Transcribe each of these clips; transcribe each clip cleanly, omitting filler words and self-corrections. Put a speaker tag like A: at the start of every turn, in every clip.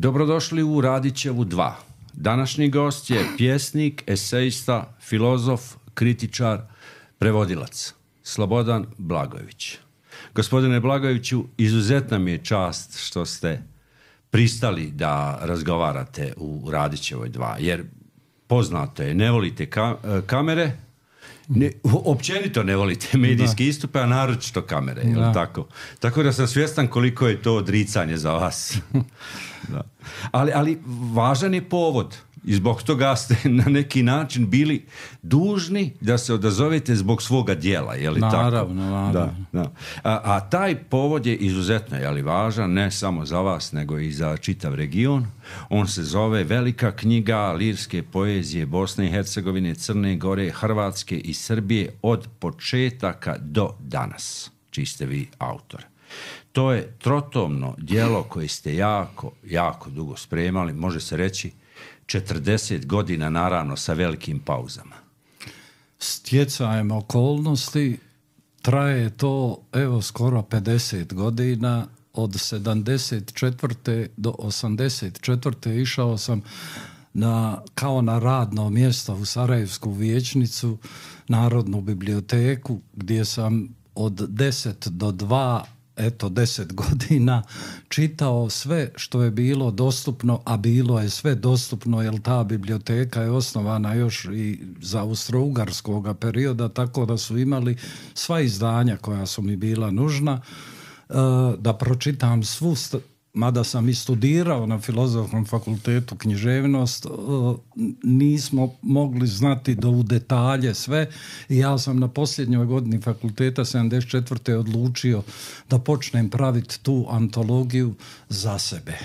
A: Dobrodošli u Radićevu 2. Današnji gost je pjesnik, esejista, filozof, kritičar, prevodilac Slobodan Blagojević. Gospodine Blagojeviću, izuzetna mi je čast što ste pristali da razgovarate u Radićevoj 2, jer poznato je, ne volite kamere, općenito ne volite medijski istupe, a naročito kamere, je li tako? Tako da sam svjestan koliko je to odricanje za vas. Da. Ali važan je povod i zbog toga ste na neki način bili dužni da se odazovete zbog svoga djela, je li tako?
B: Naravno.
A: Da. A taj povod je izuzetno, je li važan, ne samo za vas, nego i za čitav region. On se zove Velika knjiga lirske poezije Bosne i Hercegovine, Crne Gore, Hrvatske i Srbije od početaka do danas, čiji ste vi autor. To je trotomno djelo koje ste jako dugo spremali, može se reći 40 godina, naravno sa velikim pauzama.
B: Stjecajem okolnosti traje to skoro 50 godina. Od 74. do 84. išao sam kao na radno mjesto u Sarajevsku vijećnicu, Narodnu biblioteku, gdje sam od 10 do 2 10 godina čitao sve što je bilo dostupno, a bilo je sve dostupno jer ta biblioteka je osnovana još i za austro-ugarskog perioda, tako da su imali sva izdanja koja su mi bila nužna da pročitam svu, mada sam i studirao na Filozofskom fakultetu književnost, nismo mogli znati u detalje sve i ja sam na posljednjoj godini fakulteta 74. odlučio da počnem praviti tu antologiju za sebe.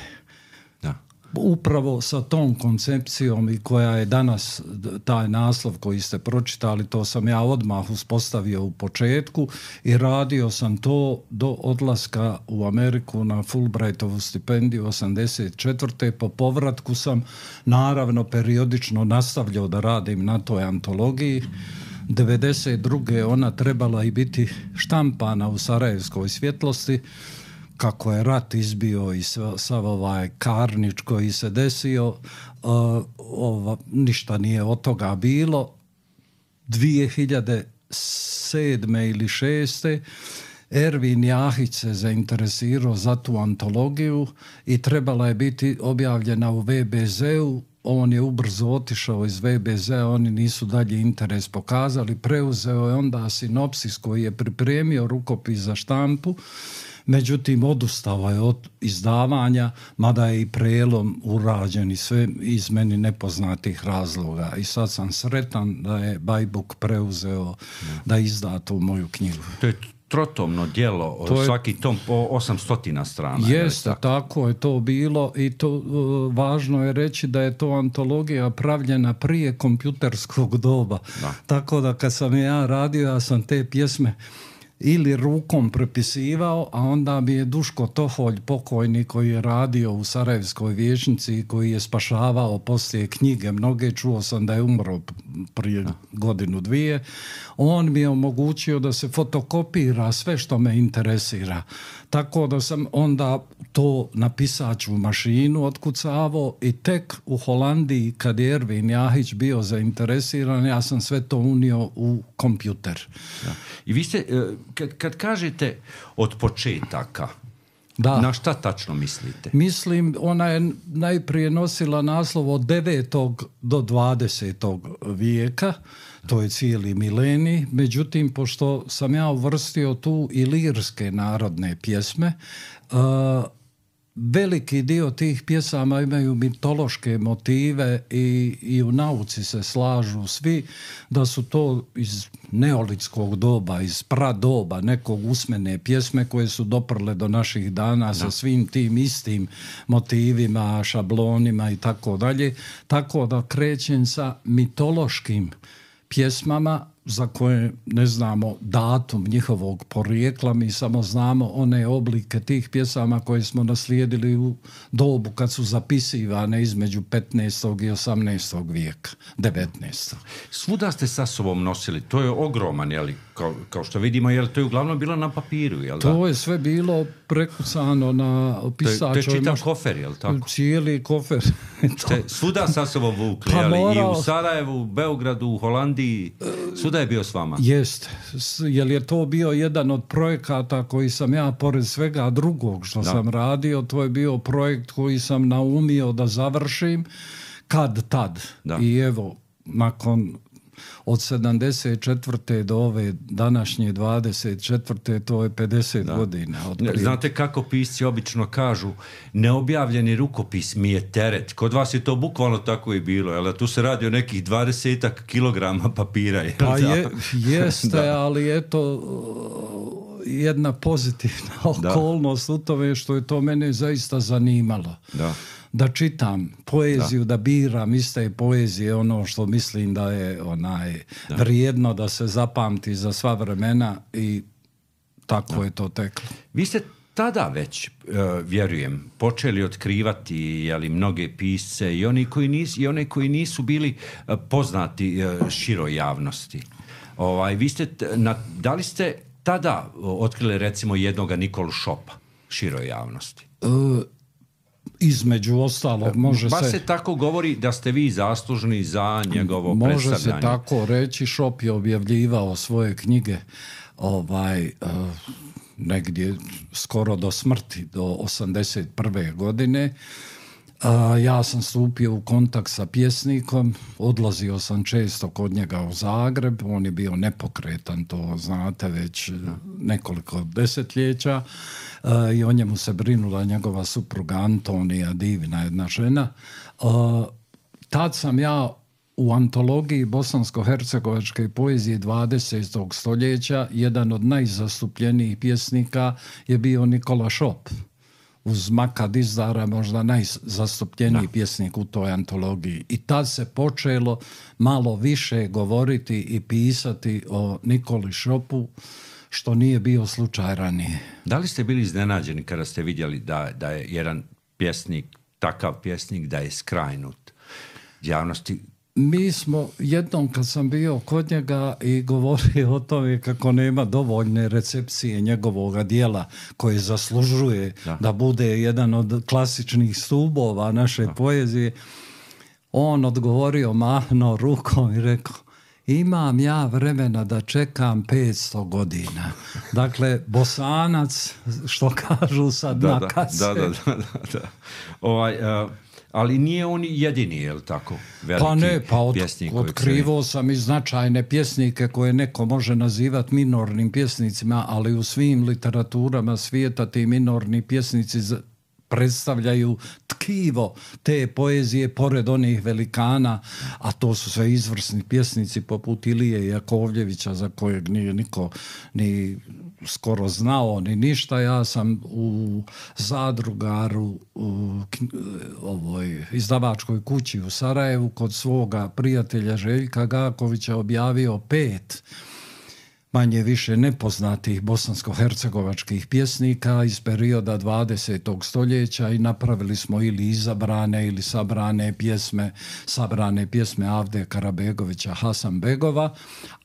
B: Upravo sa tom koncepcijom i koja je danas taj naslov koji ste pročitali, to sam ja odmah uspostavio u početku i radio sam to do odlaska u Ameriku na Fulbrightovu stipendiju 84. Po povratku sam naravno periodično nastavljao da radim na toj antologiji. 92. ona trebala i biti štampana u Sarajevskoj svjetlosti. Kako je rat izbio i sav ovaj karnič koji se desio, ništa nije od toga bilo. 2007. ili 2006. Ervin Jahić se zainteresirao za tu antologiju i trebala je biti objavljena u VBZ-u. On je ubrzo otišao iz VBZ-a, oni nisu dalje interes pokazali. Preuzeo je onda sinopsis koji je pripremio rukopis za štampu. Međutim, odustao je od izdavanja, mada je i prelom urađen i sve iz meni nepoznatih razloga. I sad sam sretan da je Bajbuk preuzeo da izda tu moju knjigu.
A: To je trotomno djelo, svaki tom po 800 strana.
B: Jeste, tako je to bilo i to važno je reći da je to antologija pravljena prije kompjuterskog doba. Tako da kad sam ja radio, ja sam te pjesme ili rukom prepisivao, a onda mi je Duško Toholj, pokojni, koji je radio u Sarajevskoj vijećnici, koji je spašavao poslije knjige mnoge, čuo sam da je umro prije godinu, dvije, on mi je omogućio da se fotokopira sve što me interesira. Tako da sam onda to na pisaću mašinu otkucavao i tek u Holandiji, kad je Ervin Jahić bio zainteresiran, ja sam sve to unio u kompjuter.
A: Da. I vi ste, kad kažete od početaka, na šta tačno mislite?
B: Mislim, ona je najprije nosila naslov od 9. do 20. vijeka, to je cijeli milenij, međutim, pošto sam ja uvrstio tu i lirske narodne pjesme, veliki dio tih pjesama imaju mitološke motive i u nauci se slažu svi da su to iz neolitskog doba, iz pradoba nekog usmene pjesme koje su doprle do naših dana sa svim tim istim motivima, šablonima i tako dalje. Tako da krećem sa mitološkim pjesmama za koje ne znamo datum njihovog porijekla, mi samo znamo one oblike tih pjesama koje smo naslijedili u dobu kad su zapisivane između 15. i 18. vijeka, 19.
A: Svuda ste sa sobom nosili, to je ogroman kao što vidimo, jer to je uglavnom bilo na papiru, jel da?
B: To je sve bilo prekucano na pisačoj...
A: To je čitav kofer, jel tako?
B: Cijeli kofer.
A: Svuda sa sobom vukli, i u Sarajevu, u Beogradu, u Holandiji, svuda je bio s vama.
B: Jest, jer je to bio jedan od projekata koji sam ja, pored svega drugog što sam radio, to je bio projekt koji sam naumio da završim kad tad. Da. I evo, nakon od 74. do ove današnje 24. to je 50 godina.
A: Znate kako pisci obično kažu, neobjavljeni rukopis mi je teret. Kod vas je to bukvalno tako i bilo, jel? Tu se radi o nekih 20 kilograma papira. Jel?
B: Pa jeste, ali eto, jedna pozitivna okolnost u tome što je to mene zaista zanimalo. Da čitam poeziju, da biram iste poezije, ono što mislim da je vrijedno da se zapamti za sva vremena i tako je to teklo.
A: Vi ste tada već, vjerujem, počeli otkrivati mnoge pisce i one koji nisu bili poznati široj javnosti. Da li ste tada otkrili recimo jednoga Nikolu Šopa široj javnosti?
B: Između ostalog,
A: baš se tako govori da ste vi zaslužni za njegovo predstavljanje.
B: Može se tako reći. Šop je objavljivao svoje knjige negdje skoro do smrti, do 81. godine. Ja sam stupio u kontakt sa pjesnikom, odlazio sam često kod njega u Zagreb, on je bio nepokretan, to znate već nekoliko desetljeća, i o njemu se brinula njegova supruga Antonija, divna jedna žena. Tad sam ja u antologiji bosansko-hercegovačke poezije 20. stoljeća, jedan od najzastupljenijih pjesnika je bio Nikola Šop. Uz Maka Dizdara možda najzastupljeniji pjesnik u toj antologiji. I tad se počelo malo više govoriti i pisati o Nikoli Šopu, što nije bio slučaj ranije.
A: Da li ste bili iznenađeni kada ste vidjeli da je jedan pjesnik, takav pjesnik, da je skrajnut javnosti?
B: Mi smo jednom kad sam bio kod njega i govorio o tome kako nema dovoljne recepcije njegovog djela koje zaslužuje da bude jedan od klasičnih stubova naše poezije, on odgovorio, mahnuo rukom i rekao: imam ja vremena da čekam 500 godina. Dakle, Bosanac, što kažu sad na kase.
A: Da. Ali nije on jedini, je li tako? Pjesnik.
B: Otkrivao sam i značajne pjesnike koje neko može nazivati minornim pjesnicima, ali u svim literaturama svijeta ti minorni pjesnici predstavljaju tkivo te poezije pored onih velikana, a to su sve izvrsni pjesnici poput Ilije Jakovljevića, za kojeg nije niko ni skoro znao ni ništa. Ja sam u Zadrugaru, u izdavačkoj kući u Sarajevu kod svoga prijatelja Željka Gakovića objavio 5 manje više nepoznatih bosansko-hercegovačkih pjesnika iz perioda 20. stoljeća i napravili smo ili izabrane ili sabrane pjesme Avde Karabegovića, Hasanbegova,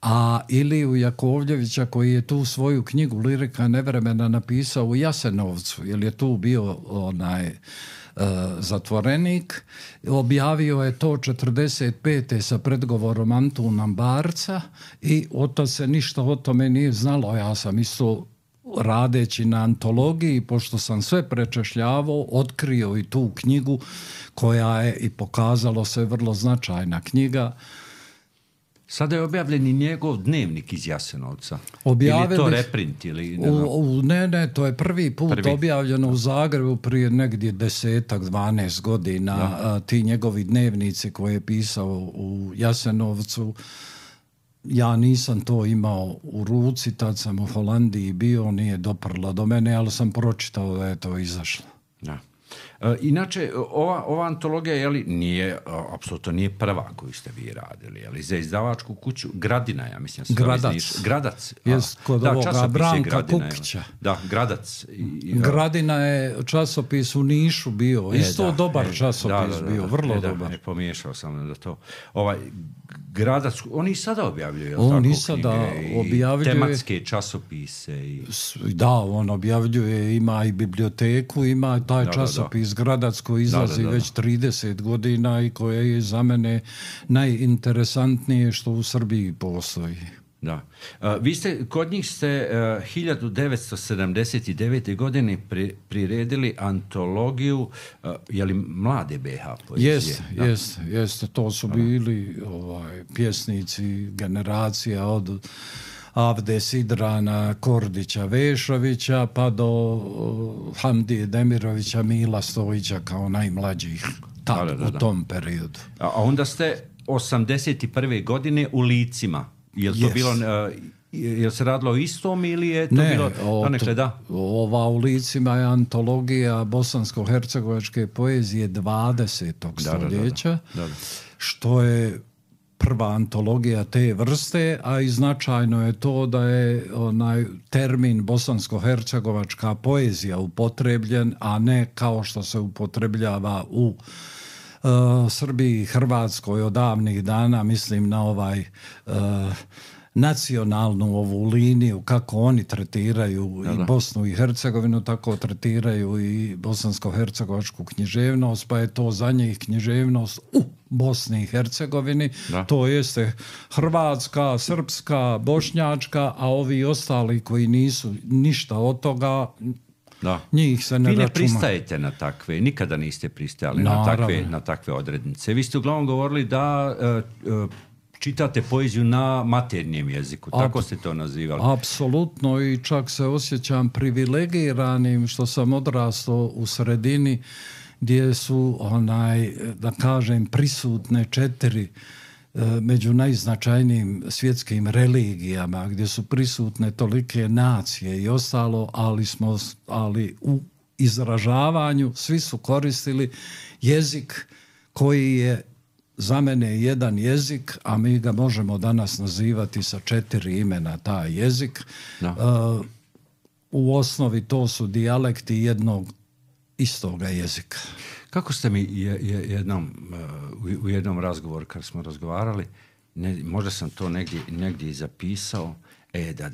B: a Iliju Jakovljevića koji je tu svoju knjigu Lirika nevremena napisao u Jasenovcu, jer je tu bio zatvorenik. Objavio je to 45. sa predgovorom Antuna Barca i oto se ništa o tome nije znalo. Ja sam isto radeći na antologiji, pošto sam sve prečešljavao, otkrio i tu knjigu koja je i pokazalo se vrlo značajna knjiga.
A: Sada je objavljen i njegov dnevnik iz Jasenovca. Ili je to reprint?
B: Ne, to je prvi put objavljeno u Zagrebu prije negdje 10-12 godina. Ti njegovi dnevnici koje je pisao u Jasenovcu, ja nisam to imao u ruci, tad sam u Holandiji bio, nije doprlo do mene, ali sam pročitao da je to izašlo.
A: Da. Inače, ova antologija, jeli, nije, apsolutno nije prva koju ste vi radili, jeli, za izdavačku kuću Gradina, ja mislim. Gradac.
B: Jest kod ovoga Branka Kukića.
A: Da, Gradac.
B: Gradina je časopis u Nišu bio, isto dobar časopis bio, vrlo dobar.
A: Pomiješao sam da to. Gradac, oni i sada objavljuju,
B: on i sada objavljuje
A: tematske časopise.
B: Da, on objavljuje, ima i biblioteku, ima taj časopis Gradac koji izlazi već 30 godina i koje je za mene najinteresantnije što u Srbiji postoji.
A: Da. Vi ste, kod njih ste 1979. godine priredili antologiju mlade BH poezije.
B: Jeste. To su bili pjesnici generacija od Avde Sidrana, Kordića, Vešovića pa do Hamdije Demirovića, Mila Stojića kao najmlađih u tom periodu.
A: A onda ste 81. godine u Licima. Je to bilo, je se radilo o istom ili je to bilo donekle, da?
B: Ova u Licima je antologija bosansko-hercegovačke poezije 20. stoljeća, što je prva antologija te vrste, a i značajno je to da je onaj termin bosansko-hercegovačka poezija upotrebljen, a ne kao što se upotrebljava u Srbiji i Hrvatskoj od davnih dana, mislim na nacionalnu ovu liniju, kako oni tretiraju i Bosnu i Hercegovinu, tako tretiraju i bosansko-hercegovačku književnost, pa je to za njih književnost u Bosni i Hercegovini, to jeste hrvatska, srpska, bošnjačka, a ovi ostali koji nisu ništa od toga, njih se ne računa.
A: Vi ne pristajete na takve, nikada niste pristajali na takve odrednice. Vi ste uglavnom govorili da čitate poeziju na maternjem jeziku, tako ste to nazivali.
B: Apsolutno, i čak se osjećam privilegiranim što sam odrastao u sredini gdje su, da kažem, prisutne 4 među najznačajnijim svjetskim religijama, gdje su prisutne tolike nacije i ostalo, ali u izražavanju svi su koristili jezik koji je za mene jedan jezik, a mi ga možemo danas nazivati sa 4 imena taj jezik. U osnovi to su dijalekti jednog istoga jezika.
A: Kako ste mi u jednom razgovoru kad smo razgovarali, možda sam to negdje i zapisao, da.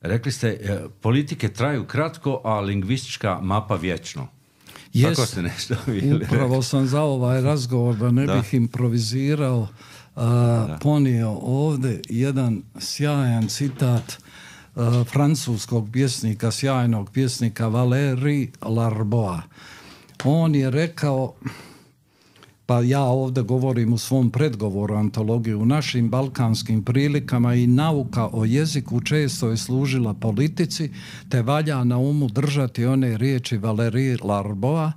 A: Rekli ste, politike traju kratko, a lingvistička mapa vječno. Tako ste nešto bili.
B: Upravo sam za ovaj razgovor, da ne bih improvizirao, ponio ovdje jedan sjajan citat francuskog pjesnika, sjajnog pjesnika Valéry Larboa. On je rekao, pa ja ovdje govorim u svom predgovoru antologiji, u našim balkanskim prilikama i nauka o jeziku često je služila politici, te valja na umu držati one riječi Valéry Larboa,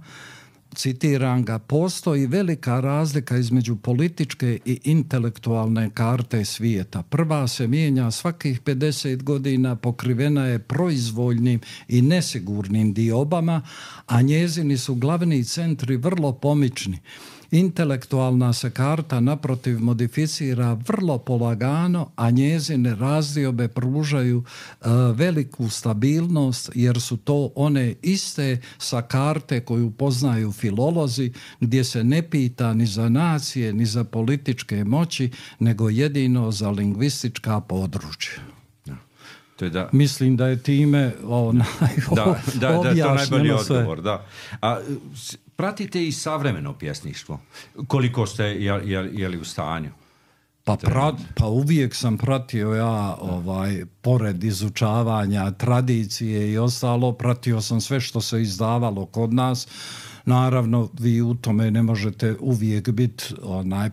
B: citiram ga, postoji velika razlika između političke i intelektualne karte svijeta. Prva se mijenja svakih 50 godina, pokrivena je proizvoljnim i nesigurnim diobama, a njezini su glavni centri vrlo pomični. Intelektualna se karta naprotiv modificira vrlo polagano, a njezine razdiobe pružaju veliku stabilnost, jer su to one iste sa karte koju poznaju filolozi, gdje se ne pita ni za nacije, ni za političke moći, nego jedino za lingvistička područja. Mislim da je time
A: objašnjeno sve. Odgovor, da. A pratite i savremeno pjesništvo? Koliko ste jeli u stanju?
B: Pa uvijek sam pratio pored izučavanja tradicije i ostalo, pratio sam sve što se izdavalo kod nas. Naravno, vi u tome ne možete uvijek biti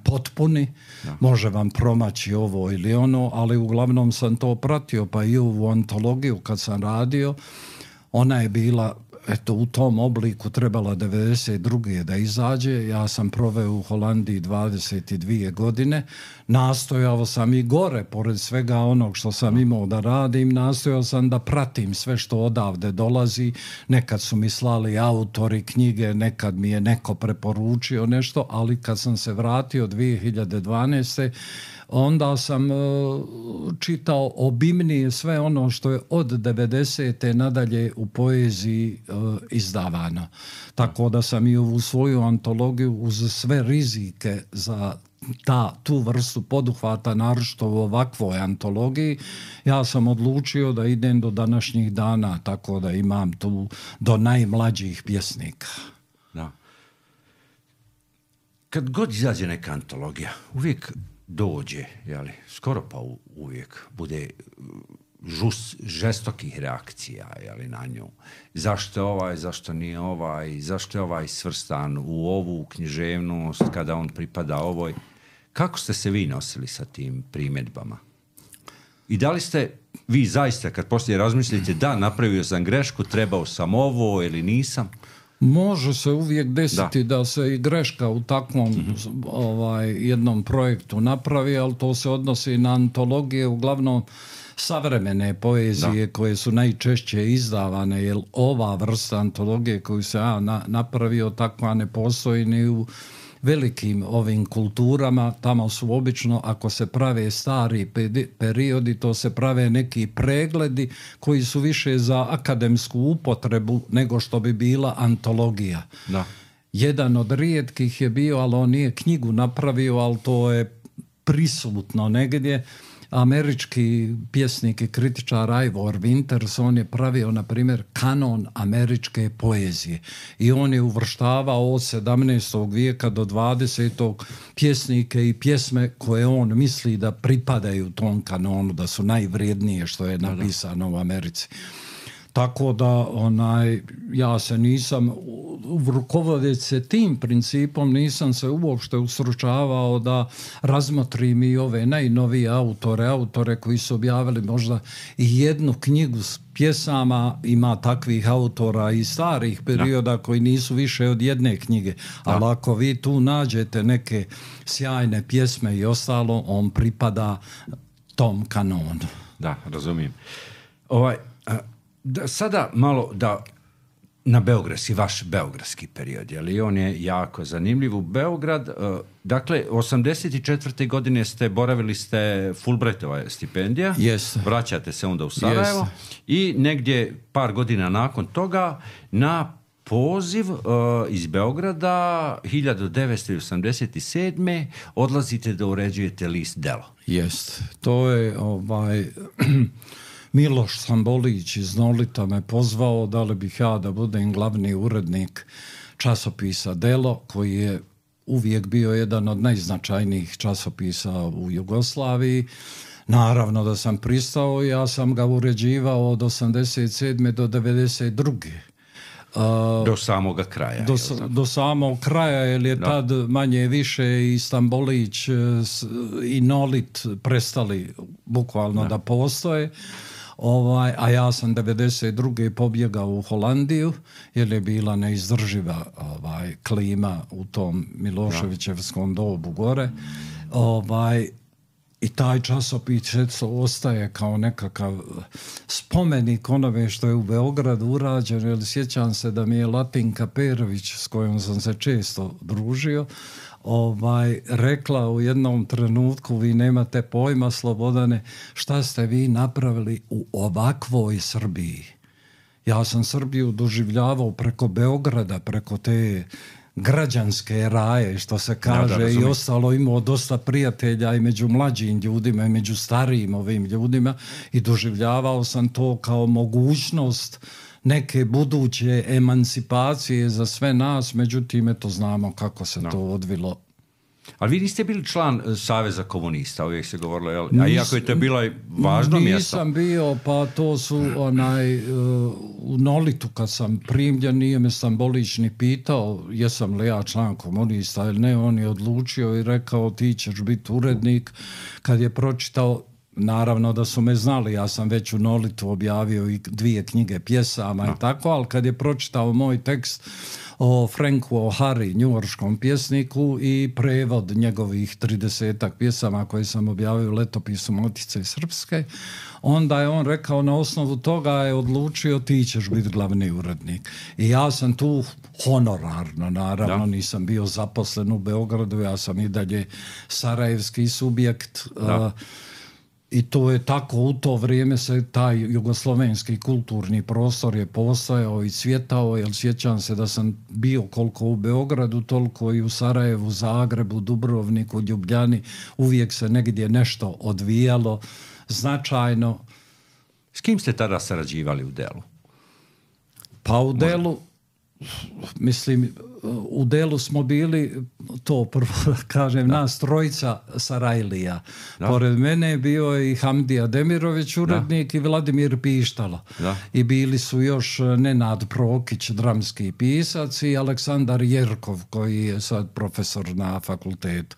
B: potpuni, može vam promaći ovo ili ono, ali uglavnom sam to pratio, pa i ovu antologiju kad sam radio, ona je bila eto, u tom obliku trebala 92. da izađe. Ja sam proveo u Holandiji 22 godine. Nastojao sam i gore, pored svega onog što sam imao da radim, nastojao sam da pratim sve što odavde dolazi. Nekad su mi slali autori knjige, nekad mi je neko preporučio nešto, ali kad sam se vratio 2012. onda sam čitao obimnije sve ono što je od 90. nadalje u poeziji izdavano. Tako da sam i ovu svoju antologiju uz sve rizike za tu vrstu poduhvata, naročito u ovakvoj antologiji, ja sam odlučio da idem do današnjih dana, tako da imam tu do najmlađih pjesnika.
A: Da. Kad god izađe neka antologija, uvijek dođe, jeli, skoro pa uvijek bude žestokih reakcija, jeli, na nju. Zašto je ovaj, zašto nije ovaj, zašto je ovaj svrstan u ovu književnost kada on pripada ovoj. Kako ste se vi nosili sa tim primjedbama? I da li ste vi zaista, kad poslije razmislite, da, napravio sam grešku, trebao sam ovo ili nisam?
B: Može se uvijek desiti da se i greška u takvom jednom projektu napravi, ali to se odnosi na antologije, uglavnom savremene poezije koje su najčešće izdavane, jer ova vrsta antologije koju se ja napravio, takva ne postoji ni u velikim ovim kulturama. Tamo su obično, ako se prave stari periodi, to se prave neki pregledi koji su više za akademsku upotrebu nego što bi bila antologija.
A: Da.
B: Jedan od rijetkih je bio, ali on nije knjigu napravio, ali to je prisutno negdje. Američki pjesnik i kritičar Ivor Winters, on je pravio, na primjer, kanon američke poezije i on je uvrštavao od 17. vijeka do 20. pjesnike i pjesme koje on misli da pripadaju tom kanonu, da su najvrijednije što je napisano u Americi. Tako da ja se nisam, rukovodeći se tim principom, nisam se uopšte usručavao da razmotrim i ove najnovije autore koji su objavili možda i jednu knjigu s pjesama. Ima takvih autora i starih perioda koji nisu više od jedne knjige. Ali ako vi tu nađete neke sjajne pjesme i ostalo, on pripada tom kanonu.
A: Da, razumijem. Sada malo na beogradski, vaš beogradski period, jer on je jako zanimljiv. U Beograd, dakle, 84. godine boravili ste Fulbrightova stipendija, vraćate se onda u Sarajevo i negdje par godina nakon toga na poziv iz Beograda 1987. odlazite da uređujete list Delo.
B: Jest, to je Miloš Stambolić iz Nolita me pozvao da li bih ja da budem glavni urednik časopisa Delo, koji je uvijek bio jedan od najznačajnijih časopisa u Jugoslaviji. Naravno da sam pristao, ja sam ga uređivao od 87. do 92.
A: Do samoga kraja.
B: Do samog kraja, jer je tad manje više i Stambolić i Nolit prestali bukvalno da postoje. A ja sam 92. pobjegao u Holandiju, jer je bila neizdrživa klima u tom Miloševićevskom dobu gore. I taj časopis ostaje kao nekakav spomenik onome što je u Beogradu urađeno, jer sjećam se da mi je Latinka Perović, s kojom sam se često družio, rekla u jednom trenutku: vi nemate pojma, Slobodane, šta ste vi napravili u ovakvoj Srbiji. Ja sam Srbiju doživljavao preko Beograda, preko te građanske raje, što se kaže, i ostalo, imao dosta prijatelja i među mlađim ljudima i među starijim ovim ljudima i doživljavao sam to kao mogućnost neke buduće emancipacije za sve nas, međutim, eto, znamo kako se to odvilo.
A: Ali vi niste bili član Saveza komunista, uvijek se govorilo, a iako je to bilo važno mjesto.
B: Nisam bio, pa to su u Nolitu kad sam primljen, nije me Stambolić ni pitao jesam li ja član komunista ili ne, on je odlučio i rekao ti ćeš biti urednik. Kad je pročitao, naravno da su me znali, ja sam već u Nolitu objavio i 2 knjige pjesama i tako, ali kad je pročitao moj tekst o Franku O'Hari, njujorškom pjesniku, i prevod njegovih 30-ak pjesama koje sam objavio u letopisu Matice Srpske, onda je on rekao, na osnovu toga je odlučio, ti ćeš biti glavni urednik. I ja sam tu honorarno, naravno, nisam bio zaposlen u Beogradu, ja sam i dalje sarajevski subjekt. I to je tako, u to vrijeme se taj jugoslovenski kulturni prostor je postojao i cvjetao, jer sjećam se da sam bio koliko u Beogradu, toliko i u Sarajevu, Zagrebu, Dubrovniku, Ljubljani, uvijek se negdje nešto odvijalo značajno.
A: S kim ste tada sarađivali u Delu?
B: Pa u Delu, mislim, u Delu smo bili, to prvo kažem, nas trojica Sarajlija. Pored mene je bio i Hamdija Demirović, urednik, i Vladimir Pištalo. I bili su još Nenad Prokić, dramski pisac, i Aleksandar Jerkov, koji je sad profesor na fakultetu.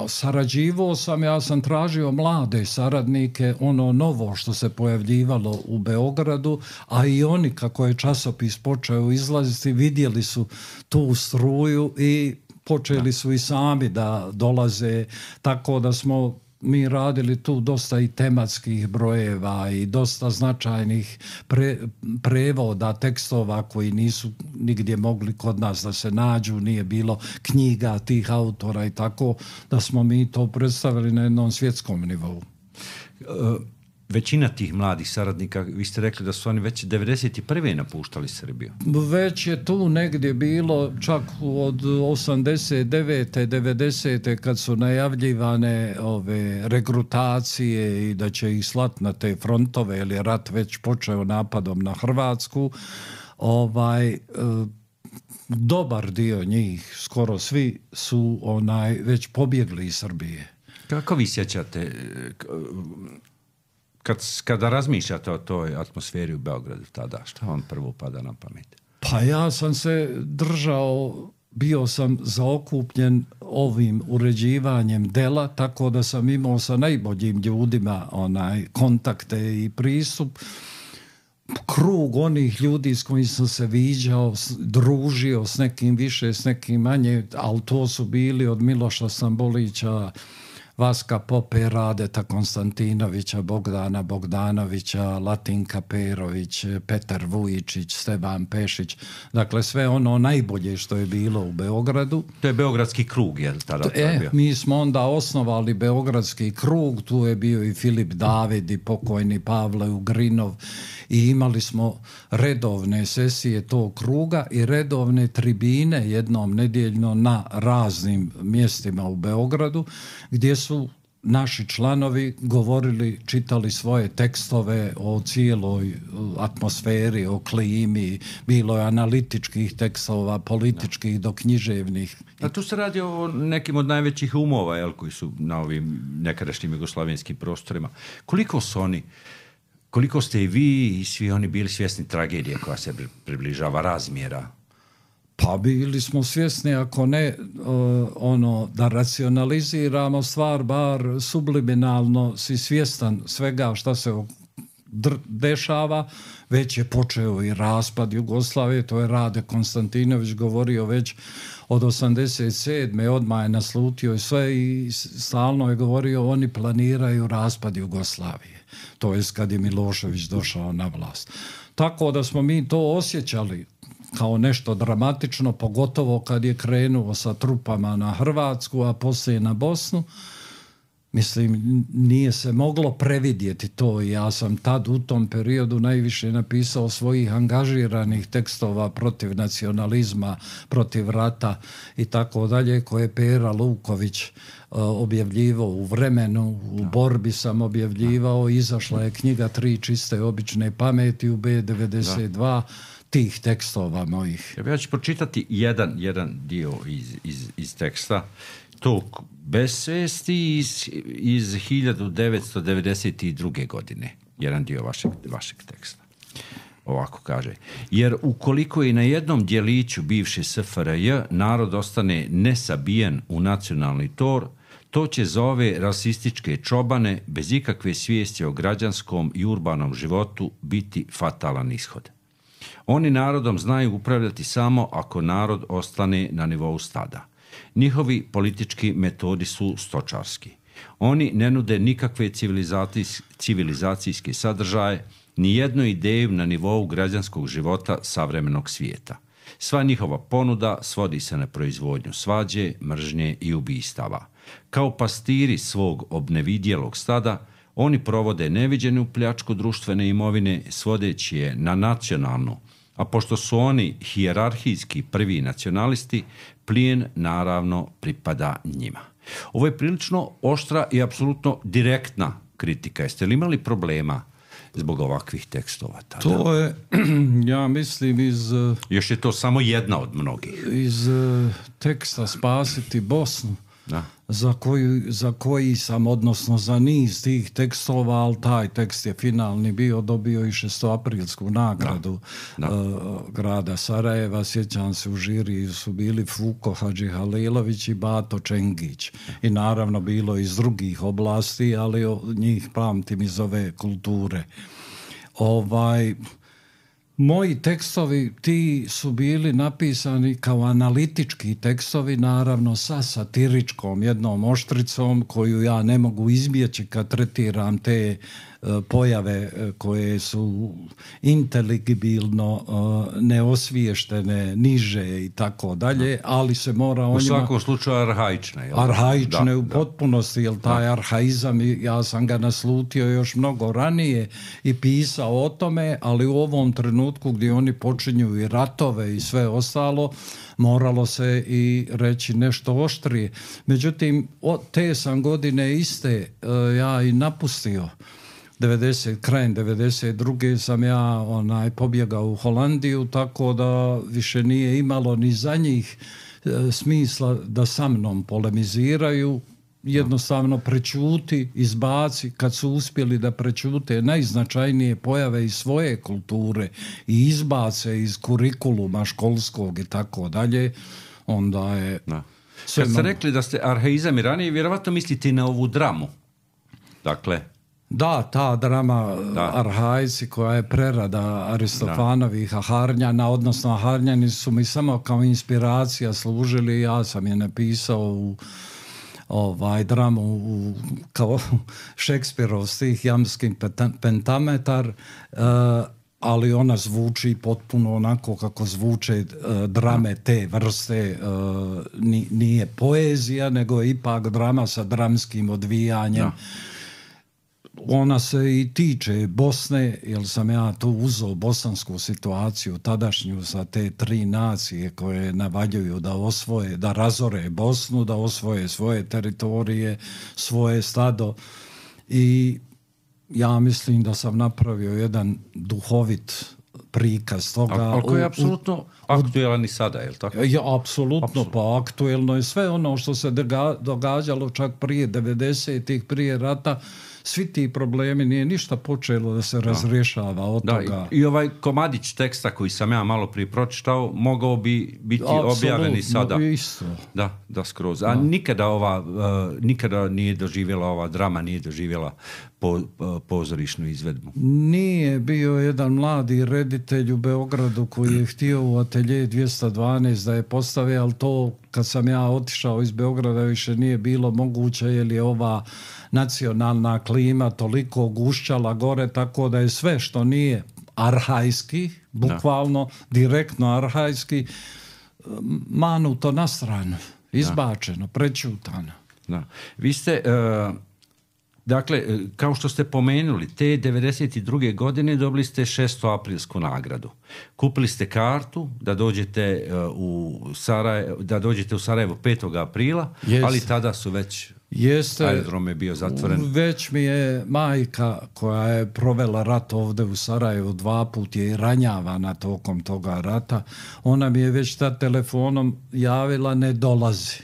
B: Sarađivao sam, ja sam tražio mlade saradnike, ono novo što se pojavljivalo u Beogradu, a i oni, kako je časopis počeo izlaziti, vidjeli su tu struju i počeli su i sami da dolaze, tako da smo mi radili tu dosta i tematskih brojeva i dosta značajnih prevoda tekstova koji nisu nigdje mogli kod nas da se nađu, nije bilo knjiga tih autora i tako da smo mi to predstavili na jednom svjetskom nivou.
A: Većina tih mladih saradnika, vi ste rekli da su oni već 91. napuštali Srbiju.
B: Već je tu negdje bilo, čak od 89. 90. kad su najavljivane ove regrutacije i da će ih slati na te frontove, jer je rat već počeo napadom na Hrvatsku. Dobar dio njih, skoro svi, su već pobjegli iz Srbije.
A: Kako vi sjećate, kada razmišljate o toj atmosferi u Beogradu tada, šta vam prvo pada na pamet?
B: Pa ja sam se držao, bio sam zaokupljen ovim uređivanjem dela, tako da sam imao sa najboljim ljudima kontakte i pristup. Krug onih ljudi s kojim sam se viđao, družio, s nekim više, s nekim manje, ali to su bili od Miloša Stambolića, Vaska Pope, Radeta Konstantinovića, Bogdana Bogdanovića, Latinka Perović, Petar Vujičić, Stevan Pešić. Dakle, sve ono najbolje što je bilo u Beogradu.
A: To je Beogradski krug, je li tada?
B: Mi smo onda osnovali Beogradski krug, tu je bio i Filip David i pokojni Pavle Ugrinov, i imali smo redovne sesije tog kruga i redovne tribine jednom nedjeljno na raznim mjestima u Beogradu, gdje su naši članovi govorili, čitali svoje tekstove o cijeloj atmosferi, o klimi, bilo je analitičkih tekstova, političkih do književnih.
A: A tu se radi o nekim od najvećih umova, koji su na ovim nekadašnjim jugoslavenskim prostorima. Koliko ste i vi i svi oni bili svjesni tragedije koja se približava, razmjera?
B: Pa bili smo svjesni, ako ne da racionaliziramo stvar, bar subliminalno si svjestan svega šta se dešava. Već je počeo i raspad Jugoslavije, to je Rade Konstantinović govorio već od 87. odmah je naslutio i sve i stalno je govorio oni planiraju raspad Jugoslavije. To je kad je Milošević došao na vlast. Tako da smo mi to osjećali kao nešto dramatično, pogotovo kad je krenuo sa trupama na Hrvatsku, a poslije na Bosnu. Mislim, nije se moglo previdjeti to i ja sam tad u tom periodu najviše napisao svojih angažiranih tekstova protiv nacionalizma, protiv rata i tako dalje, koje je Pera Luković objavljivao u Vremenu, u Borbi sam objavljivao, izašla je knjiga 3 čiste obične pameti u B92 tih tekstova mojih.
A: Ja ću pročitati jedan dio iz teksta. To Besvijesti iz 1992. godine. Jedan dio vašeg teksta. Ovako kaže. Jer ukoliko i na jednom djeliću bivše SFRJ narod ostane nesabijen u nacionalni tor, to će za ove rasističke čobane bez ikakve svijesti o građanskom i urbanom životu biti fatalan ishod. Oni narodom znaju upravljati samo ako narod ostane na nivou stada. Njihovi politički metodi su stočarski. Oni ne nude nikakve civilizacijske sadržaje, ni jednu ideju na nivou građanskog života savremenog svijeta. Sva njihova ponuda svodi se na proizvodnju svađe, mržnje i ubistava. Kao pastiri svog obnevidjelog stada, oni provode neviđenu pljačku društvene imovine svodeći je na nacionalnu, a pošto su oni hijerarhijski prvi nacionalisti, plijen naravno pripada njima. Ovo je prilično oštra i apsolutno direktna kritika. Jeste li imali problema zbog ovakvih tekstova tada?
B: To je, ja mislim,
A: još je to samo jedna od mnogih.
B: Iz teksta Spasiti Bosnu,
A: da.
B: Za koji sam, odnosno za niz tih tekstova, ali taj tekst je finalni bio, dobio i 6. nagradu grada Sarajeva. Sjećam se, u žiriji su bili Fuko Hadži Halilović i Bato Čengić. I naravno bilo iz drugih oblasti, ali njih pamtim iz ove kulture. Moji tekstovi, ti su bili napisani kao analitički tekstovi, naravno sa satiričkom jednom oštricom koju ja ne mogu izbjeći kad tretiram te pojave koje su inteligibilno neosviještene, niže i tako dalje, ali se mora o njima...
A: U svakom slučaju arhaične.
B: Arhaične u potpunosti, jer taj arhaizam, ja sam ga naslutio još mnogo ranije i pisao o tome, ali u ovom trenutku gdje oni počinju i ratove i sve ostalo, moralo se i reći nešto oštrije. Međutim, te sam godine iste ja i napustio. Krajem 92. sam ja pobjegao u Holandiju, tako da više nije imalo ni za njih smisla da sa mnom polemiziraju. Jednostavno prečuti, izbaci, kad su uspjeli da prečute najznačajnije pojave iz svoje kulture i izbace iz kurikuluma školskog i tako dalje, onda je...
A: Kad ste rekli da ste arhaizam i ranije, vjerovatno mislite i na ovu dramu. Dakle...
B: Da, ta drama Arhaici koja je prerada Aristofanovih Aharnjana, odnosno Aharnjani su mi samo kao inspiracija služili, ja sam je napisao u dramu kao Šekspirov stih Jamski pentametar, ali ona zvuči potpuno onako kako zvuče drame te vrste, nije poezija, nego je ipak drama sa dramskim odvijanjem. Ona se i tiče Bosne, jer sam ja tu uzeo bosansku situaciju tadašnju sa te 3 nacije koje navaljuju da osvoje, da razore Bosnu, da osvoje svoje teritorije, svoje stado, i ja mislim da sam napravio jedan duhovit prikaz toga.
A: Ali koji je apsolutno aktuelan i sada, je li tako?
B: Apsolutno, pa aktuelno je sve ono što se događalo čak prije 90-ih, prije rata. Svi ti problemi, nije ništa počelo da se razrješava od toga.
A: I ovaj komadić teksta koji sam ja malo prije pročitao, mogao bi biti objavljen i sada.
B: Isto.
A: Da, skroz. A nikada nije doživjela ova drama, nije doživjela pozorišnu izvedbu.
B: Nije, bio jedan mladi reditelj u Beogradu koji je htio u Atelje 212 da je postave, ali to kad sam ja otišao iz Beograda više nije bilo moguće, jer je ova nacionalna klima toliko gušćala gore, tako da je sve što nije arhajski, bukvalno direktno arhajski, manuto na stranu, izbačeno, prečutano.
A: Vi ste, dakle, kao što ste pomenuli, te 92. godine dobili ste 6. aprilsku nagradu. Kupili ste kartu da dođete u Sarajevo 5. aprila, ali tada su već... aerodrom je bio zatvoren.
B: Već mi je majka koja je provela rat ovdje u Sarajevu 2 puta je ranjavana tokom toga rata. Ona mi je već tad telefonom javila ne dolazi.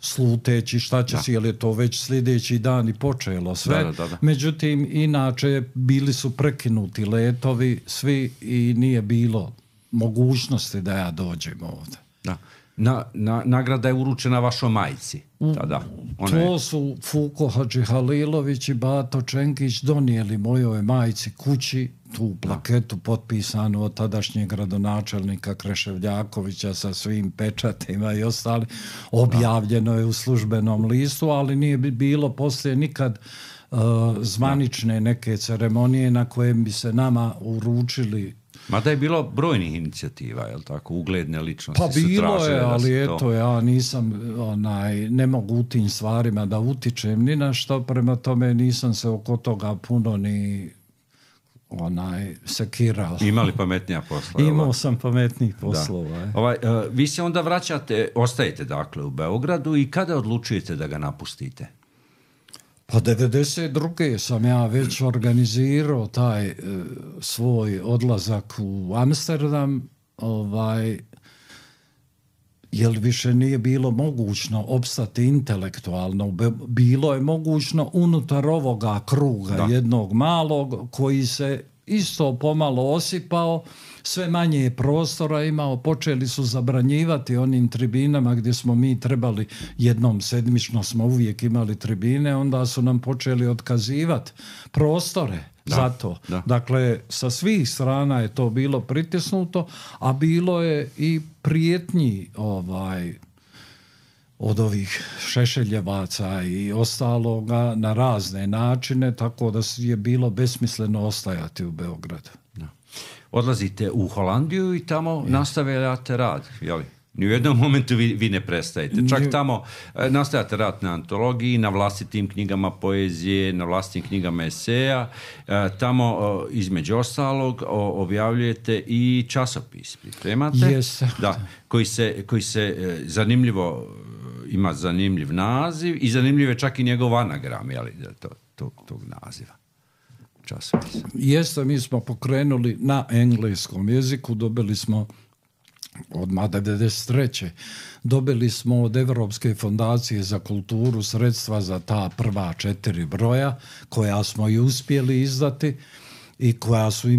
B: Sluteći šta će si, jer je to već sljedeći dan i počelo sve. Da. Međutim, inače bili su prekinuti letovi svi i nije bilo mogućnosti da ja dođem ovdje.
A: Da. nagrada je uručena vašoj majci tada.
B: To su Fuko Hadžihalilović i Bato Čenkić donijeli mojoj majci kući tu plaketu potpisanu od tadašnjeg gradonačelnika Kreševljakovića sa svim pečatima i ostali. Objavljeno je u službenom listu, ali nije bilo poslije nikad zvanične neke ceremonije na kojem bi se nama uručili.
A: Mada je bilo brojnih inicijativa, je li tako, ugledne ličnosti
B: Pa bilo je, ali eto, ja nisam, ne mogu u tim stvarima da utičem ni na što, prema tome nisam se oko toga puno ni sekirao.
A: Imali pametnija posla?
B: Imao sam pametnijih poslova.
A: Vi se onda vraćate, ostajete dakle u Beogradu i kada odlučujete da ga napustite?
B: Pa 92. sam ja već organizirao taj svoj odlazak u Amsterdam, jer više nije bilo mogućno opstati intelektualno. Bilo je mogućno unutar ovoga kruga jednog malog koji se isto pomalo osipao, sve manje je prostora imao, počeli su zabranjivati onim tribinama gdje smo mi trebali, jednom sedmično smo uvijek imali tribine, onda su nam počeli otkazivati prostore za to. Dakle, sa svih strana je to bilo pritisnuto, a bilo je i prijetnji od ovih Šešeljevaca i ostaloga na razne načine, tako da je bilo besmisleno ostajati u Beogradu.
A: Odlazite u Holandiju i tamo nastavljate rad, jel? Ni u jednom momentu vi ne prestajete. Čak tamo nastavljate rad na antologiji, na vlastitim knjigama poezije, na vlastitim knjigama eseja. Tamo, između ostalog, objavljujete i časopis. Pripremate?
B: Yes.
A: Da, koji se zanimljivo ima zanimljiv naziv i zanimljiv je čak i njegov anagram, jel? Tog naziva.
B: Jeste, mi smo pokrenuli na engleskom jeziku, dobili smo odmah 1993. dobili smo od Evropske fondacije za kulturu sredstva za ta prva 4 broja koja smo i uspjeli izdati i koja su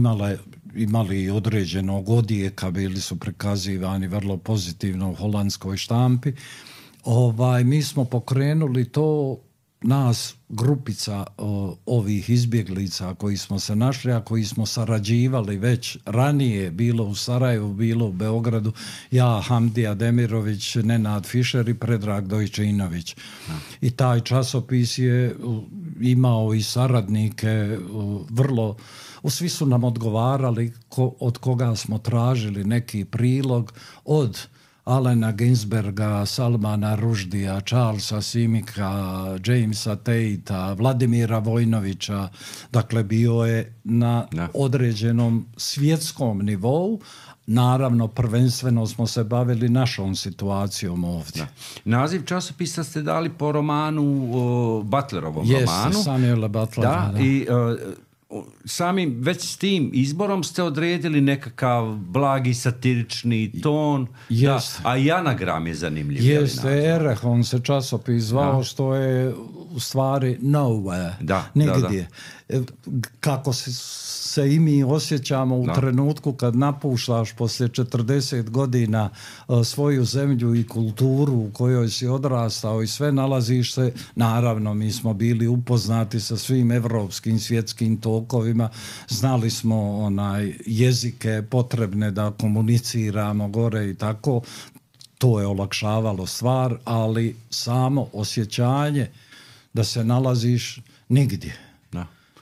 B: imali određenog odjeka, bili su prikazivani vrlo pozitivno u holandskoj štampi. Mi smo pokrenuli to, nas grupica ovih izbjeglica koji smo se našli, a koji smo sarađivali već ranije, bilo u Sarajevu, bilo u Beogradu, ja, Hamdija Demirović, Nenad Fišer i Predrag Dojčinović. I taj časopis je imao i saradnike, svi su nam odgovarali od koga smo tražili neki prilog, od Alena Ginsberga, Salmana Ruždija, Charlesa Simika, Jamesa Tatea, Vladimira Vojnovića. Dakle, bio je na određenom svjetskom nivou. Naravno, prvenstveno smo se bavili našom situacijom ovdje.
A: Naziv časopisa ste dali po romanu, Butlerovom romanu.
B: Jeste, Samuela Butlera.
A: I samim već s tim izborom ste odredili nekakav blagi satirični ton, a i anagram je zanimljiv.
B: Jeste, Erehon se časopis zvao, što je u stvari nowhere, nigdje. Kako se i mi osjećamo u trenutku kad napuštaš poslije 40 godina svoju zemlju i kulturu u kojoj si odrastao i sve, nalaziš se, naravno mi smo bili upoznati sa svim evropskim svjetskim tokovima, znali smo jezike potrebne da komuniciramo gore i tako, to je olakšavalo stvar, ali samo osjećanje da se nalaziš nigdje.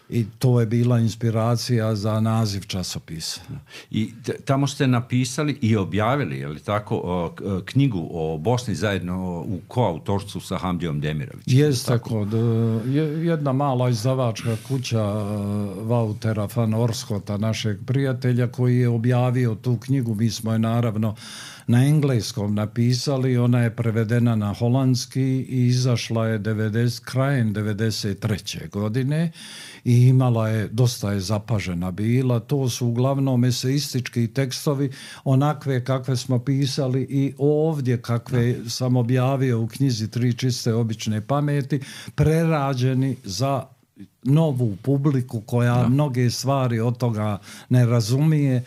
B: I to je bila inspiracija za naziv časopisa.
A: I tamo ste napisali i objavili, je li tako, knjigu o Bosni zajedno u koautorstvu sa Hamdijom Demirovićem.
B: Jeste, jedna mala izdavačka kuća Vautera van Orskota, našeg prijatelja, koji je objavio tu knjigu. Mi smo je naravno na engleskom napisali, ona je prevedena na holandski i izašla je krajem 93. godine i imala je, dosta je zapažena bila. To su uglavnom eseistički tekstovi, onakve kakve smo pisali i ovdje, kakve sam objavio u knjizi 3 čiste obične pameti, prerađeni za novu publiku koja mnoge stvari od toga ne razumije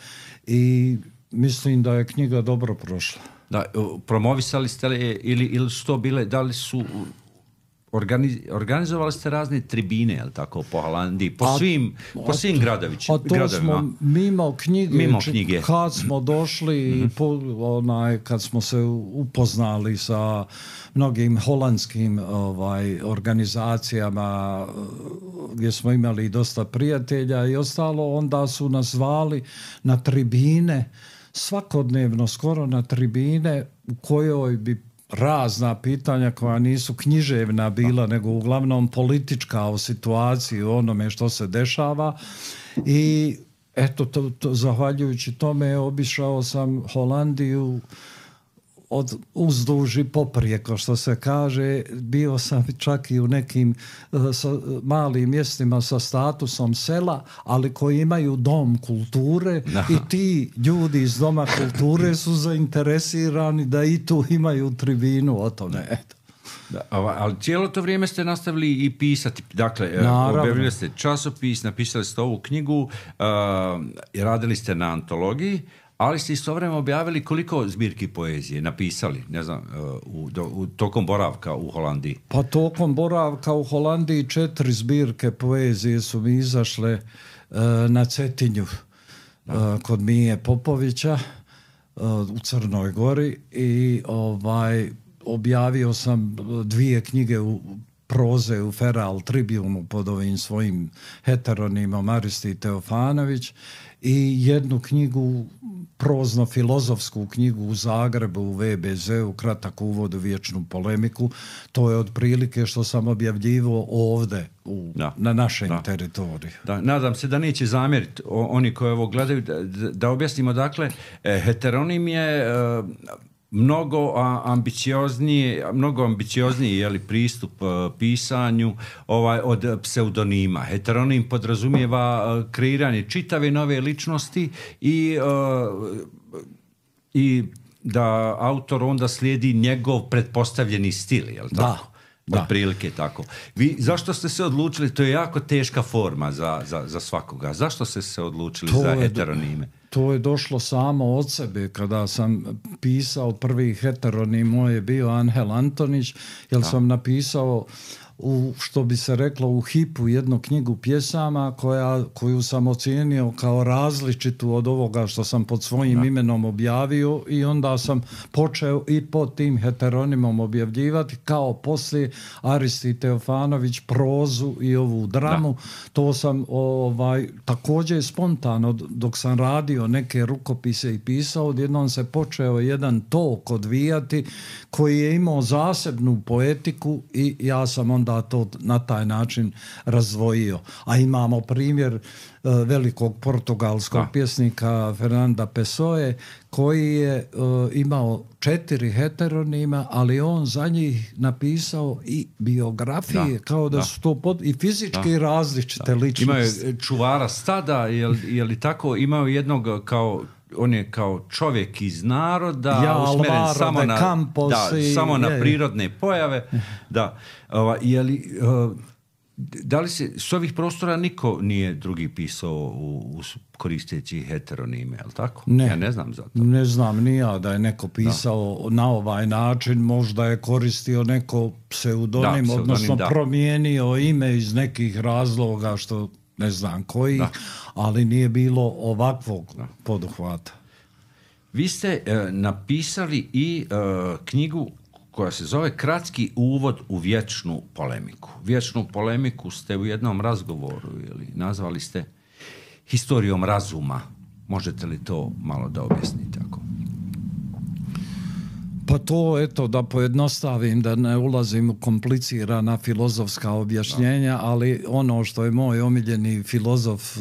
B: i mislim da je knjiga dobro prošla.
A: Da, promovisali ste li ili su to bile, da li su organizovali ste razne tribine, jel tako, po Holandiji, po svim gradovima.
B: Smo mimo knjige. Kad smo došli, kad smo se upoznali sa mnogim holandskim organizacijama gdje smo imali dosta prijatelja i ostalo, onda su nas zvali na tribine, svakodnevno skoro na tribine u kojoj bi razna pitanja koja nisu književna bila, nego uglavnom politička o situaciji, o onome što se dešava. I eto, zahvaljujući tome obišao sam Holandiju od uzduž i poprijeko, što se kaže. Bio sam čak i u nekim malim mjestima sa statusom sela, ali koji imaju dom kulture. I ti ljudi iz doma kulture su zainteresirani da i tu imaju tribinu o tome. Eto.
A: Da, ali cijelo to vrijeme ste nastavili i pisati. Dakle, objavili ste časopis, napisali ste ovu knjigu, radili ste na antologiji, ali ste istovremeno objavili koliko zbirki poezije napisali, ne znam, tokom boravka u Holandiji?
B: Pa tokom boravka u Holandiji 4 zbirke poezije su mi izašle na Cetinju kod Mije Popovića u Crnoj Gori i objavio sam 2 knjige u proze u Feral Tribunu pod ovim svojim heteronimom Aristi Teofanović i 1 knjigu, prozno-filozofsku knjigu u Zagrebu, u VBZ-u, kratak uvod u vječnu polemiku. To je otprilike što sam objavljivao ovdje na našem teritoriju.
A: Da, nadam se da neće zamjeriti oni koji ovo gledaju, da objasnimo. Dakle, heteronim je mnogo ambiciozniji je li pristup pisanju od pseudonima. Heteronim podrazumijeva kreiranje čitave nove ličnosti i da autor onda slijedi njegov pretpostavljeni stil, je li tako? Da. Otprilike tako. Zašto ste se odlučili, to je jako teška forma za svakoga, zašto ste se odlučili za heteronime?
B: To je došlo samo od sebe. Kada sam pisao prvi heteronim, moj je bio Anhel Antonić, jer sam napisao što bi se reklo u hipu 1 knjigu pjesama koju sam ocijenio kao različitu od ovoga što sam pod svojim imenom objavio i onda sam počeo i pod tim heteronimom objavljivati, kao poslije Aristi Teofanović prozu i ovu dramu. To sam također spontano dok sam radio neke rukopise i pisao, odjednom se počeo jedan tok odvijati koji je imao zasebnu poetiku i ja sam onda to na taj način razdvojio. A imamo primjer velikog portugalskog pjesnika Fernanda Pessoe koji je imao 4 heteronima, ali on za njih napisao i biografije, kao da su to i fizički različite ličnosti.
A: Imao je čuvara stada, je li tako? Imao jednog on je kao čovjek iz naroda, usmjeren samo na prirodne pojave. Da li se s ovih prostora niko nije drugi pisao koristeći heteronime, je li tako?
B: Ne,
A: ja ne znam za to.
B: Ne znam ni ja da je neko pisao na ovaj način, možda je koristio neko pseudonim, odnosno promijenio ime iz nekih razloga što ne znam koji, ali nije bilo ovakvog poduhvata.
A: Vi ste napisali i knjigu koja se zove Kratki uvod u vječnu polemiku. Vječnu polemiku ste u jednom razgovoru nazvali ste historijom razuma. Možete li to malo da objasnite?
B: Pa to, da pojednostavim, da ne ulazim u komplicirana filozofska objašnjenja, ali ono što je moj omiljeni filozof,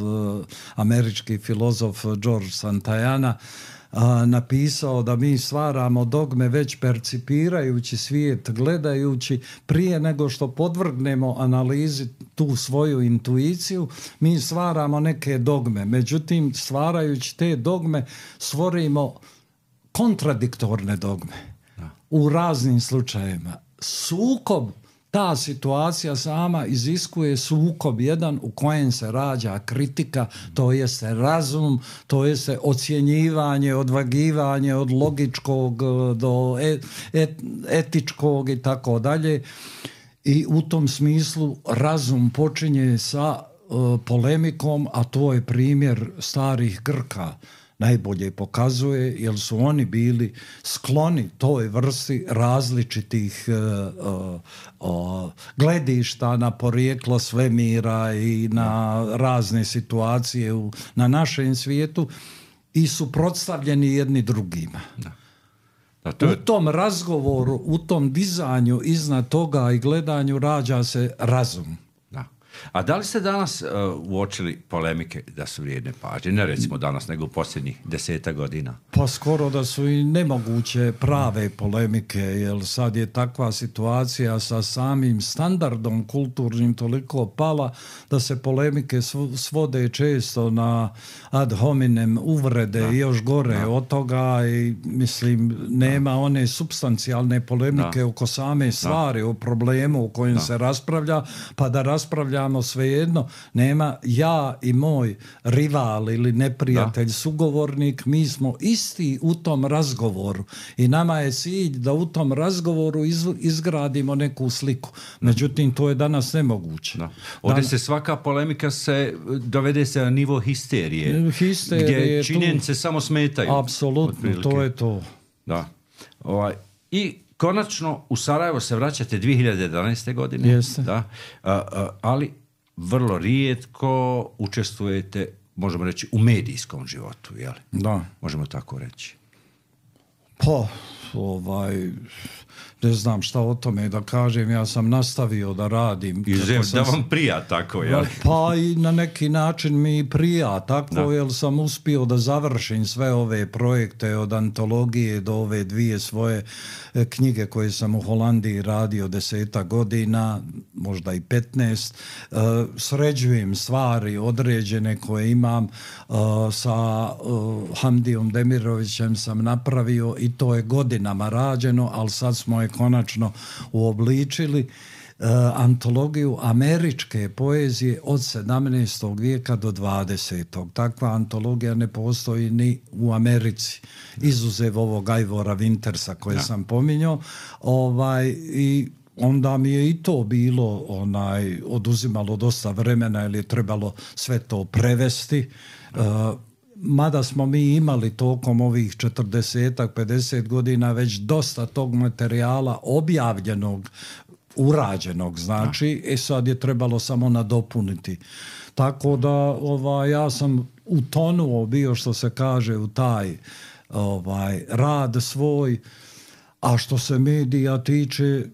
B: američki filozof George Santayana napisao, da mi stvaramo dogme već percipirajući svijet, gledajući, prije nego što podvrgnemo analizi tu svoju intuiciju, mi stvaramo neke dogme. Međutim, stvarajući te dogme, stvorimo kontradiktorne dogme u raznim slučajevima. Sukob ta situacija sama iziskuje sukob jedan u kojem se rađa kritika, to jeste razum, to jeste ocjenjivanje, odvagivanje od logičkog do etičkog i tako dalje. I u tom smislu razum počinje sa polemikom, a to je primjer starih Grka. Najbolje pokazuje, jer su oni bili skloni toj vrsti različitih gledišta na porijeklo svemira i na razne situacije na našem svijetu i suprotstavljeni jedni drugima.
A: Da.
B: U tom razgovoru, u tom dizanju iznad toga i gledanju rađa se razum.
A: Da. A da li ste danas uočili polemike da su vrijedne pažnje? Ne recimo danas, nego u posljednjih 10 godina.
B: Pa skoro da su i nemoguće prave polemike, jer sad je takva situacija sa samim standardom kulturnim toliko pala da se polemike svode često na ad hominem uvrede i još gore od toga i mislim nema one supstancijalne polemike oko same stvari, o problemu o kojem se raspravlja, pa da raspravljamo svejedno, nema ja i moj rival ili neprijatelj, sugovornik, mi smo isti u tom razgovoru i nama je cilj da u tom razgovoru izgradimo neku sliku. Međutim, to je danas nemoguće.
A: Ovdje se svaka polemika dovede se na nivo histerije gdje činjenice samo smetaju.
B: Apsolutno, to je to.
A: Da. I konačno u Sarajevo se vraćate 2011. godine.
B: Jeste.
A: Da. Ali vrlo rijetko učestvujete, možemo reći, u medijskom životu, jel?
B: Da.
A: Možemo tako reći.
B: Pa, ne znam šta o tome da kažem, ja sam nastavio da radim.
A: Da vam prija tako, jel?
B: Pa i na neki način mi prija tako, jer sam uspio da završim sve ove projekte od antologije do ove 2 svoje knjige koje sam u Holandiji radio 10 godina, možda i 15. Sređujem stvari određene koje imam sa Hamdijom Demirovićem sam napravio i to je godinama rađeno, ali sad smo je konačno uobličili. Antologiju američke poezije od 17. vijeka do 20. Takva antologija ne postoji ni u Americi, izuzev ovog Ivora Wintersa koje sam pominjao. I onda mi je i to bilo oduzimalo dosta vremena jer je trebalo sve to prevesti. Mada smo mi imali tokom ovih 40-50 godina već dosta tog materijala objavljenog, urađenog, znači, sad je trebalo samo nadopuniti. Tako da ja sam utonuo bio, što se kaže, u taj rad svoj, a što se medija tiče,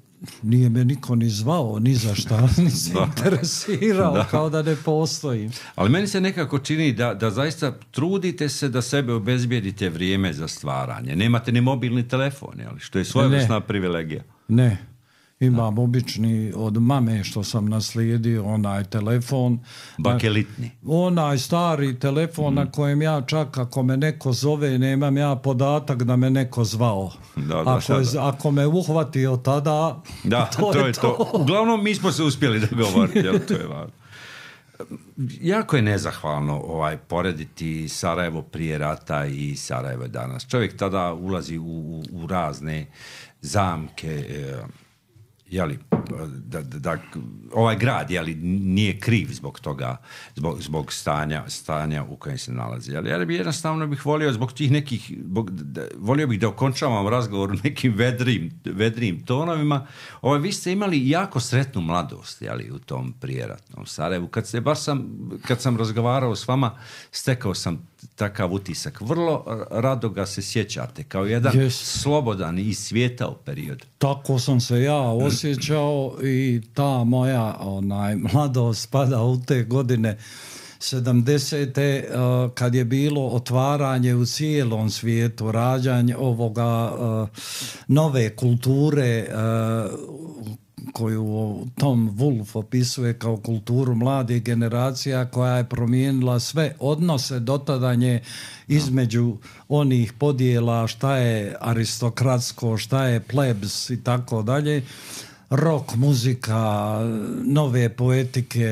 B: nije me niko ni zvao, ni za šta, ni se interesirao, kao da ne postoji.
A: Ali meni se nekako čini da zaista trudite se da sebe obezbijedite vrijeme za stvaranje. Nemate ni mobilni telefon, ali što je svojevrsna privilegija.
B: Ne. Imam obični od mame što sam naslijedio onaj telefon.
A: Bakelitni.
B: Onaj stari telefon na kojem ja čak ako me neko zove nemam ja podatak da me neko zvao. Ako me uhvatio tada, to je to.
A: Uglavnom mi smo se uspjeli dogovoriti. To je važno. Jako je nezahvalno porediti Sarajevo prije rata i Sarajevo danas. Čovjek tada ulazi u razne zamke, da ovaj grad nije kriv zbog toga, zbog stanja u kojem se nalazi. Ali bi jednostavno volio zbog tih nekih, volio bih da okončavam razgovor u nekim vedrim tonovima. Vi ste imali jako sretnu mladost u tom prijeratnom Sarajevu. Kad sam razgovarao s vama, stekao sam takav utisak. Vrlo rado ga se sjećate kao jedan slobodan i svijetao period.
B: Tako sam se ja osjećao i ta moja mladost spada u te godine 70. Kad je bilo otvaranje u cijelom svijetu, rađanje ovoga nove kulture koju Tom Wolfe opisuje kao kulturu mladih generacija koja je promijenila sve odnose dotadanje između onih podjela šta je aristokratsko, šta je plebs i tako dalje. rock muzika, nove poetike.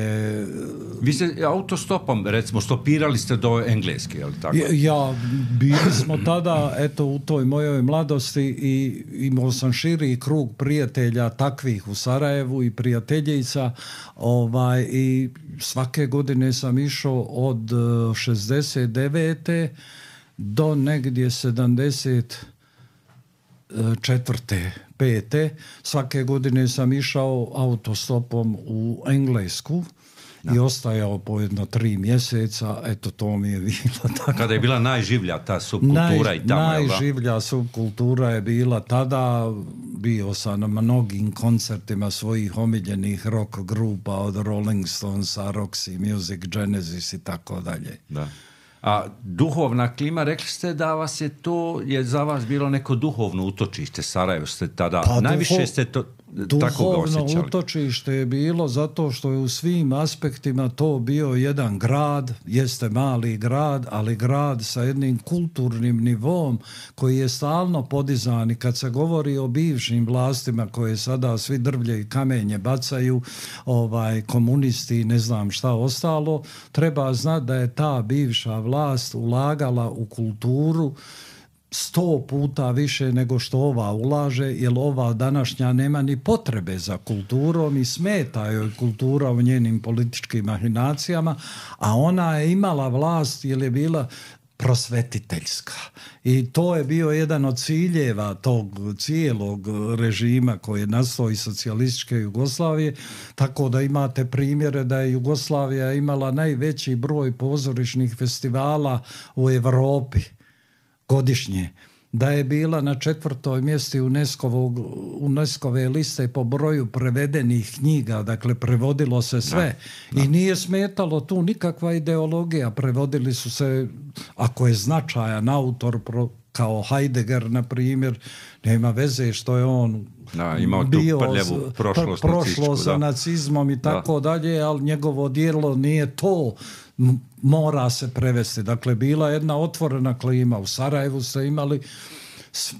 A: Vi ste autostopom, recimo, stopirali ste do engleske, je li tako?
B: Ja, bili smo tada, eto, u toj mojoj mladosti i imao sam širi krug prijatelja takvih u Sarajevu i prijateljica, i svake godine sam išao od 69. do negdje 74. 5. Svake godine sam išao autostopom u Englesku i ostajao po jedno 3 mjeseca, eto to mi je bilo tako.
A: Kada je bila najživlja ta subkultura i tamo,
B: najživlja subkultura je bila tada, bio sam na mnogim koncertima svojih omiljenih rock grupa, od Rolling Stonesa, Roxy Music, Genesis i tako dalje.
A: Da. A duhovna klima, rekli ste da vas je to, je za vas bilo neko duhovno utočište, Sarajevo ste tada, najviše ste to tako ga osjećali.
B: Duhovno utočište je bilo zato što je u svim aspektima to bio jedan grad, jeste mali grad, ali grad sa jednim kulturnim nivom koji je stalno podizan i kad se govori o bivšim vlastima koje sada svi drvlje i kamenje bacaju, komunisti i ne znam šta ostalo, treba znati da je ta bivša vlast ulagala u kulturu 100 puta više nego što ova ulaže, jer ova današnja nema ni potrebe za kulturom i smeta joj kultura u njenim političkim mahinacijama, a ona je imala vlast jer je bila prosvetiteljska. I to je bio jedan od ciljeva tog cijelog režima koji je nastao iz socijalističke Jugoslavije, tako da imate primjere da je Jugoslavija imala najveći broj pozorišnih festivala u Europi godišnje, da je bila na 4. mjestu UNESCO-ve liste po broju prevedenih knjiga, dakle prevodilo se sve. I nije smetalo tu nikakva ideologija, prevodili su se, ako je značajan autor kao Heidegger, na primjer, nema veze što je on
A: imao
B: bio
A: tu prljavu
B: prošlost sa nacizmom i tako dalje, ali njegovo djelo nije to, mora se prevesti. Dakle, bila jedna otvorena klima. U Sarajevu ste imali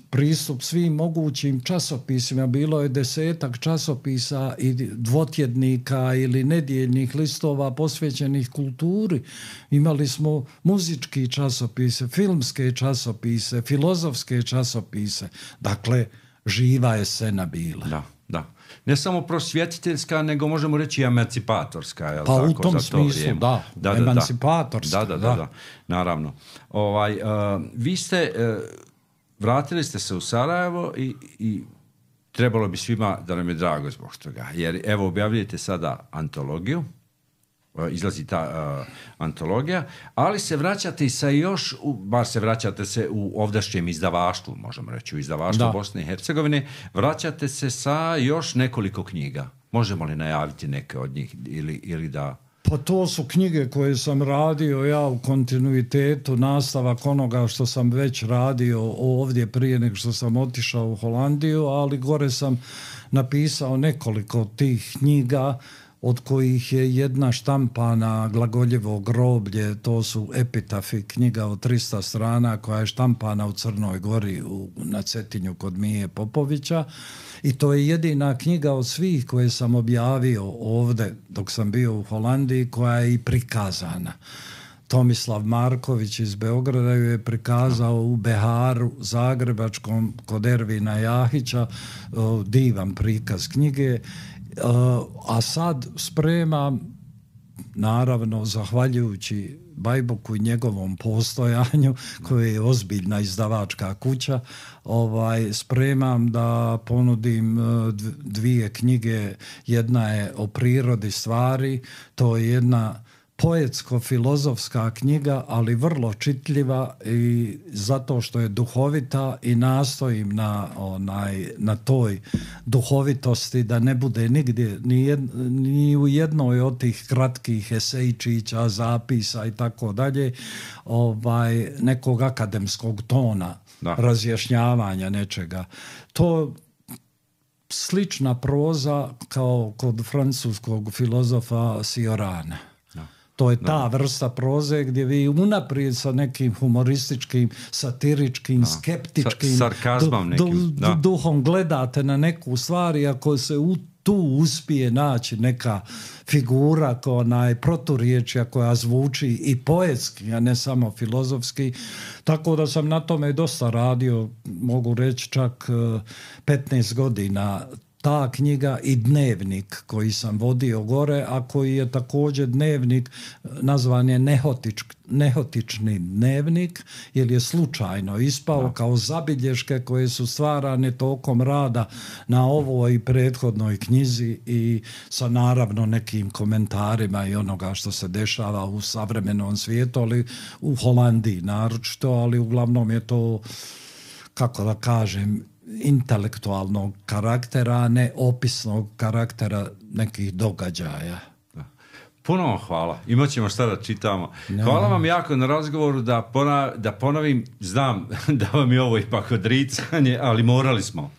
B: pristup svim mogućim časopisima. Bilo je 10-ak časopisa i dvotjednika ili nedjeljnih listova posvećenih kulturi. Imali smo muzički časopise, filmske časopise, filozofske časopise. Dakle, živa je scena bila.
A: Da. Ne samo prosvjetiteljska, nego možemo reći i emancipatorska. Je li
B: pa
A: tako,
B: u tom smislu, da. Emancipatorska.
A: Da. Naravno. Vi ste, vratili ste se u Sarajevo i trebalo bi svima da nam je drago zbog toga. Jer evo objavljujete sada antologiju, izlazi ta antologija, ali se vraćate i sa još, bar se vraćate se u ovdašnjem izdavaštvu, možemo reći, u izdavaštvu Bosne i Hercegovine, vraćate se sa još nekoliko knjiga. Možemo li najaviti neke od njih ili da...
B: Pa to su knjige koje sam radio ja u kontinuitetu, nastavak onoga što sam već radio ovdje prije nego što sam otišao u Holandiju, ali gore sam napisao nekoliko tih knjiga, od kojih je jedna štampana Glagoljevo groblje, to su epitafi, knjiga od 300 strana koja je štampana u Crnoj Gori na Cetinju kod Mije Popovića, i to je jedina knjiga od svih koje sam objavio ovdje dok sam bio u Holandiji koja je i prikazana. Tomislav Marković iz Beograda ju je prikazao u Beharu zagrebačkom kod Ervina Jahića, divan prikaz knjige. A sad spremam, naravno zahvaljujući Bajboku i njegovom postojanju, koji je ozbiljna izdavačka kuća, spremam da ponudim 2 knjige. Jedna je o prirodi stvari, to je jedna poetsko-filozofska knjiga, ali vrlo čitljiva, i zato što je duhovita i nastojim na toj duhovitosti da ne bude nigdje ni u jednoj od tih kratkih esejčića, zapisa i tako dalje nekog akademskog tona, razjašnjavanja nečega. To slična proza kao kod francuskog filozofa Ciorana. To je ta vrsta proze gdje vi unaprijed sa nekim humorističkim, satiričkim, skeptičkim
A: sarkazmom nekim,
B: duhom gledate na neku stvar, i ako se tu uspije naći neka figura proturječja koja zvuči i poetski, a ne samo filozofski. Tako da sam na tome dosta radio, mogu reći čak 15 godina. Ta knjiga i dnevnik koji sam vodio gore, a koji je također dnevnik, nazvan je nehotični dnevnik, jer je slučajno ispao kao zabilješke koje su stvarane tokom rada na ovoj i prethodnoj knjizi i sa naravno nekim komentarima i onoga što se dešava u savremenom svijetu, ali u Holandiji naročito, ali uglavnom je to, kako da kažem, intelektualnog karaktera, a ne opisnog karaktera nekih događaja.
A: Puno vam hvala. Imat ćemo šta da čitamo. Hvala vam jako na razgovoru, da ponovim, znam da vam je ovo ipak odricanje, ali morali smo.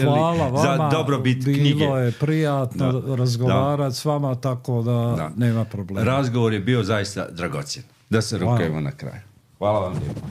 B: Hvala vama,
A: za dobrobit knjige.
B: Bilo je prijatno razgovarati s vama, tako da nema problema.
A: Razgovor je bio zaista dragocjen. Da se rukujemo na kraju. Hvala vam lijepo.